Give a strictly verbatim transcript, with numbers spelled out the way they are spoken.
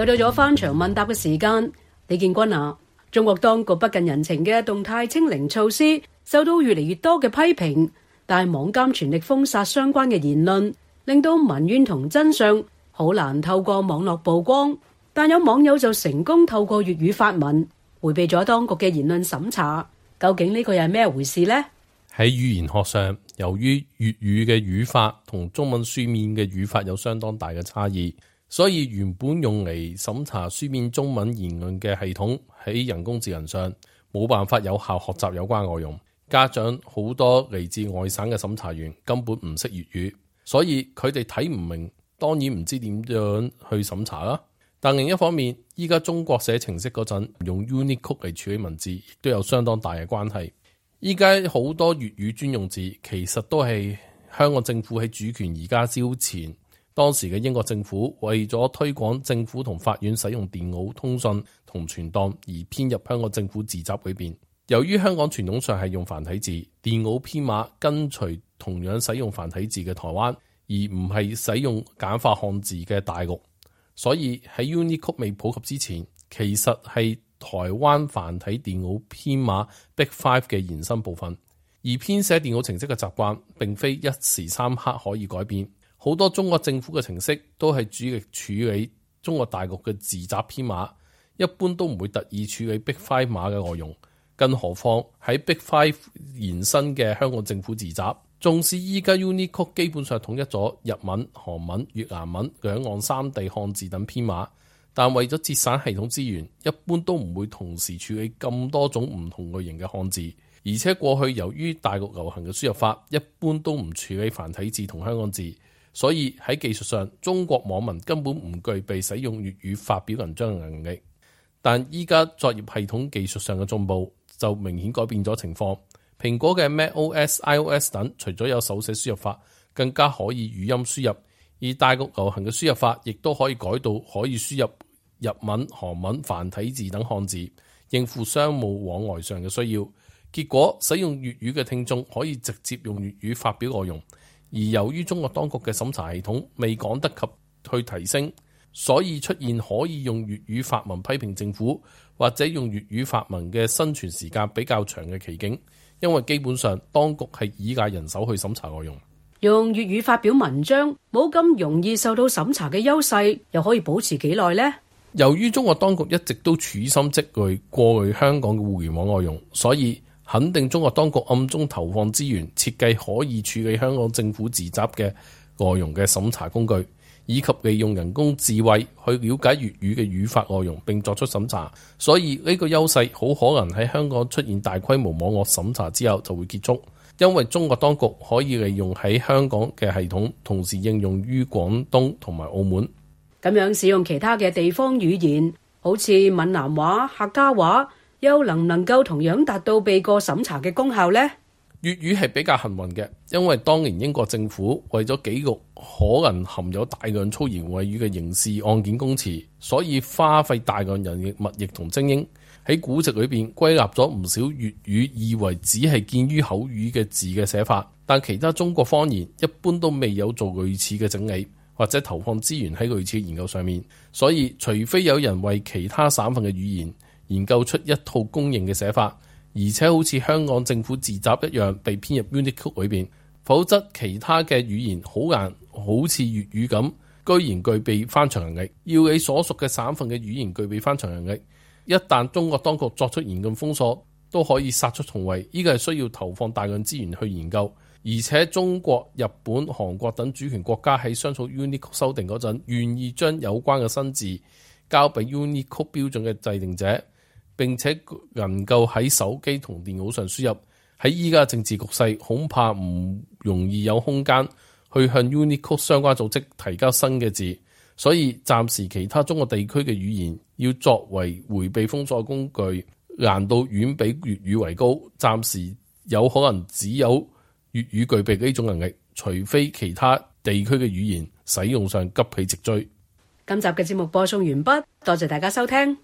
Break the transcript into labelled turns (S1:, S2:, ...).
S1: 又到咗翻牆問答嘅時間，李建軍啊，中國當局不近人情嘅動態清零措施受到越嚟越多嘅批評，但係網監全力封殺相關嘅言論，令到民怨同真相好難透過網絡曝光。但有網友就成功透過粵語發文，迴避咗當局嘅言論審查。究竟呢個又係咩回事呢？
S2: 喺語言學上，由於粵語嘅語法同中文書面嘅語法有相當大嘅差異，所以原本用嚟審查書面中文言論嘅系統喺人工智能上冇辦法有效學習有關內容。家長好多嚟自外省嘅審查員根本唔識粵語，所以佢哋睇唔明，當然唔知點樣去審查啦。但另一方面，依家中國寫程式嗰陣用 Unicode 嚟處理文字，亦都有相當大嘅關係。依家好多粵語專用字，其實都係香港政府喺主權移交之前，當時嘅英國政府為咗推廣政府同法院使用電腦通訊同傳檔而編入香港政府字集裏邊。由於香港傳統上係用繁體字，電腦編碼跟隨同樣使用繁體字嘅台灣，而唔係使用簡化漢字嘅大陸。所以喺 Unicode 未普及之前，其實係台灣繁體電腦編碼 Big Five 嘅延伸部分。而編寫電腦程式嘅習慣並非一時三刻可以改變，好多中國政府嘅程式都係主力處理中國大陸嘅字集編碼，一般都唔會特意處理 Big Five 碼嘅內容，更何況喺 Big Five 延伸嘅香港政府字集。縱使依家 Unicode 基本上統一咗日文、韓文、越南文兩岸三地漢字等編碼，但為咗節省系統資源，一般都唔會同時處理咁多種唔同類型嘅漢字。而且過去由於大陸流行嘅輸入法，一般都唔處理繁體字同香港字，所以喺技術上，中國網民根本唔具備使用粵語發表文章嘅能力。但依家作業系統技術上嘅進步，就明顯改變咗情況。蘋果嘅 macOS、iOS 等，除咗有手寫輸入法，更加可以語音輸入。而大陸流行嘅輸入法，亦都可以改到可以輸入日文、韓文、繁體字等漢字，應付商務往來上嘅需要。結果，使用粵語嘅聽眾可以直接用粵語發表內容。而由於中國當局嘅審查系統未趕得及去提升，所以出現可以用粵語發文批評政府，或者用粵語發文嘅生存時間比較長嘅奇景。因為基本上當局係依賴人手去審查內容，
S1: 用粵語發表文章冇咁容易受到審查嘅優勢，又可以保持幾耐呢？
S2: 由於中國當局一直都處心積慮過濾香港嘅互聯網內容，所以肯定中國當局暗中投放資源設計可以處理香港政府字集嘅內容嘅審查工具，以及利用人工智慧去了解粵語嘅語法內容並作出審查。所以呢個優勢好可能喺香港出現大規模網絡審查之後就會結束，因為中國當局可以利用喺香港嘅系統同時應用於廣東同埋澳門。
S1: 咁樣使用其他嘅地方語言，好似閩南話、客家話，又能唔能夠同樣達到避過審查嘅功效呢？
S2: 粵語係比較幸運嘅，因為當年英國政府為咗記錄可能含有大量粗言穢語嘅刑事案件供詞，所以花費大量人力物力同精英喺古籍裏邊歸納咗唔少粵語以為只係見於口語嘅字嘅寫法，但其他中國方言一般都未有做類似嘅整理，或者投放資源喺類似研究上面。所以除非有人為其他省份嘅語言研究出一套公認嘅寫法，而且好似香港政府字集一樣被編入 Unicode 裏邊，否則其他嘅語言好難好似粵語咁，居然具備翻牆能力。要你所屬嘅省份嘅語言具備翻牆能力，一旦中國當局作出嚴禁封鎖，都可以殺出重圍。呢個係需要投放大量資源去研究，而且中國、日本、韓國等主權國家喺商討 Unicode 修訂嗰陣，願意將有關嘅新字交俾 Unicode 標準嘅制定者，並且能夠喺手機同電腦上輸入。喺依家政治局勢，恐怕唔容易有空間去向 Unicode 相關組織提交新嘅字，所以暫時其他中國地區嘅語言要作為迴避封鎖工具，難度遠比粵語為高。暫時有可能只有粵語具備呢種能力，除非其他地區嘅語言使用上急起直追。
S1: 今集嘅節目播送完畢，多謝大家收聽。